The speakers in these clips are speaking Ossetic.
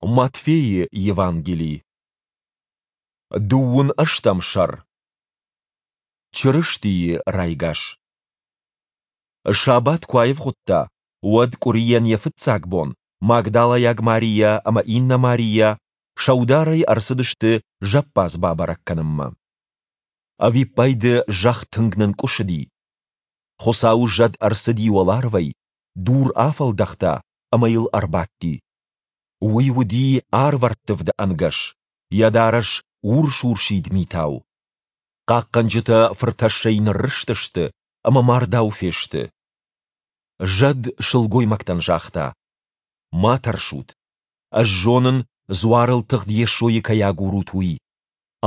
Матфейы Евангели. Дыууын ӕстӕм сӕр. Чырыстийы райгас. Сабат куы аивгъуыдта, уӕд къуырийӕн йӕ фыццаг бон Магдалӕйаг Марийӕ ӕмӕ иннӕ Марийӕ сӕударӕй ӕрцыдысты зӕппадз бабӕрӕг кӕнынмӕ. Ӕвиппайды зӕхх тынг нынкъуысыди. Хуыцауы зӕд ӕрцыди уӕларвӕй, дур афӕлдӕхта ӕмӕ йыл ӕрбадти. Уый уыди арвӕрттывды ӕнгӕс, йӕ дарӕс урс-урсид митау. Хъахъхъӕнджытӕ фыртӕссӕй ныррызтысты ӕмӕ мардау фесты. Зӕд сылгоймӕгтӕн загъта: Ма тӕрсут. Ӕз зонын, дзуарыл тыгъд Йесойы кӕй агурут, уый.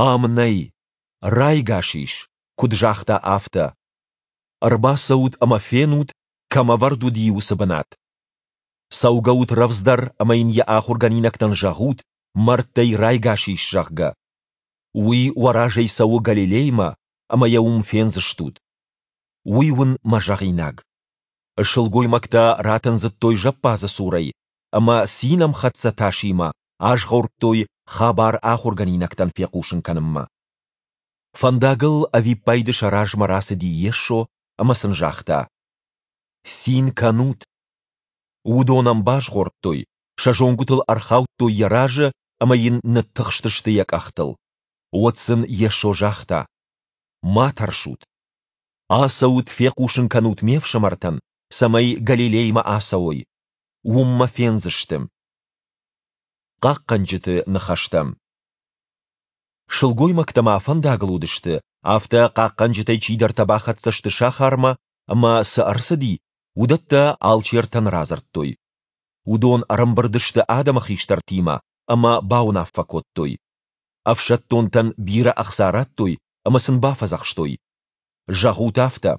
Ам нӕй. Райгас ис, куыд загъта, афтӕ. Ӕрбацӕут ӕмӕ фенут, кӕм ӕвӕрд уыди, уыцы бынат. Цӕугӕут рӕвдздӕр ӕмӕ йын йӕ ахуыргӕнинӕгтӕн зӕгъут, мӕрдтӕй райгас ис, зӕгъгӕ. Уый уӕ разӕй цӕуы Галилеймӕ, ӕмӕ йӕ уым фендзыстут. Уый уын мӕ зӕгъинаг. Сылгоймӕгтӕ ратындзыдтой зӕппадзы цурӕй ӕмӕ цинӕмхӕццӕ тасимӕ азгъордтой хабар ахуыргӕнинӕгтӕн фехъусын кӕнынмӕ. Фӕндагыл ӕвиппайды сӕ размӕ рацыди Йесо ӕмӕ сын загъта: Цин кӕнут! Уыдон ӕм базгъордтой, сӕ зонгуытыл ӕрхаудтой йӕ разы ӕмӕ йын ныттыхстысты йӕ къӕхтыл. Уӕд сын Йесо загъта: Ма тӕрсут. Ацӕут, фехъусын кӕнут ме фсымӕртӕн, цӕмӕй Галилеймӕ ацӕуой. Уым мӕ фендзысты. Хъахъхъӕнджыты ныхӕстӕ. Сылгоймӕгтӕ ма фӕндагыл уыдысты, афтӕ хъахъхъӕнджытӕй чидӕртӕ бахӕццӕ сты сахармӕ ӕмӕ, цы ӕрцыди, уыдӕттӕ алчертӕн радзырдтой. Уыдон ӕрӕмбырд сты адӕмы хистӕртимӕ ӕмӕ бауынаффӕ кодтой. Ӕфсӕддонтӕн бирӕ ӕхца радтой ӕмӕ сын бафӕдзӕхстой: Зӕгъут афтӕ.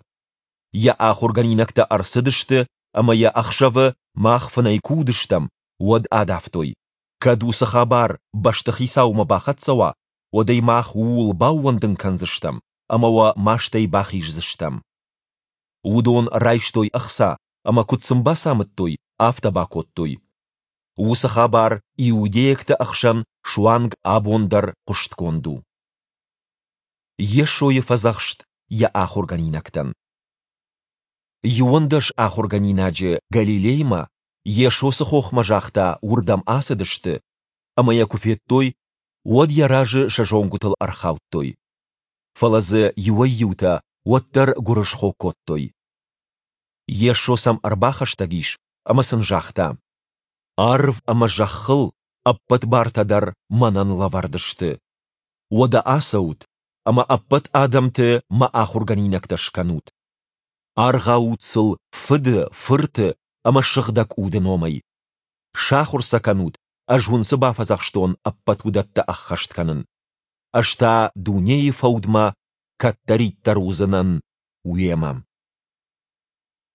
Йӕ ахуыргӕнинӕгтӕ ӕрцыдысты ӕмӕ йӕ ӕхсӕвы мах фынӕй куы уыдыстӕм, уӕд адавтой. Кӕд уыцы хабар бӕстыхицаумӕ бахӕццӕ уа, уӕд ӕй мах ууыл баууӕндын кӕндзыстӕм ӕмӕ уӕ мастӕй бахиздзыстӕм. Уыдон райстой ӕхца ӕмӕ куыд сын бацамыдтой, афтӕ бакодтой. Уыцы хабар иудейӕгты ӕхсӕн суанг абон дӕр хъуыстгонд у. Йесойы фӕдзӕхст йӕ ахуыргӕнинӕгтӕн. 11 ахуыргӕнинаджы Галилеймӕ, Йесо цы хохмӕ загъта, уырдӕм ацыдысты, ӕмӕ йӕ куы федтой, уӕд йӕ разы сӕ зонгуытыл ӕрхаудтой. Фӕлӕ дзы иуӕй-иутӕ уӕддӕр гуырысхо кодтой. Йесо сӕм ӕрбахӕстӕг ис ӕмӕ сын загъта: Арв ӕмӕ зӕххыл ӕппӕт бартӕ дӕр мӕнӕн лӕвӕрд сты. Уӕдӕ ацӕут ӕмӕ ӕппӕт адӕмты мӕ ахуыргӕнинӕгтӕ скӕнут. Аргъауут сыл Фыды, Фырты ӕмӕ Сыгъдӕг Уды номӕй. Сахуыр сӕ кӕнут, ӕз уын цы бафӕдзӕхстон, ӕппӕт уыдӕттӕ ӕххӕст кӕнын. Ӕз та дунейы фӕудмӕ кӕддӕриддӕр уыдзынӕн уемӕ.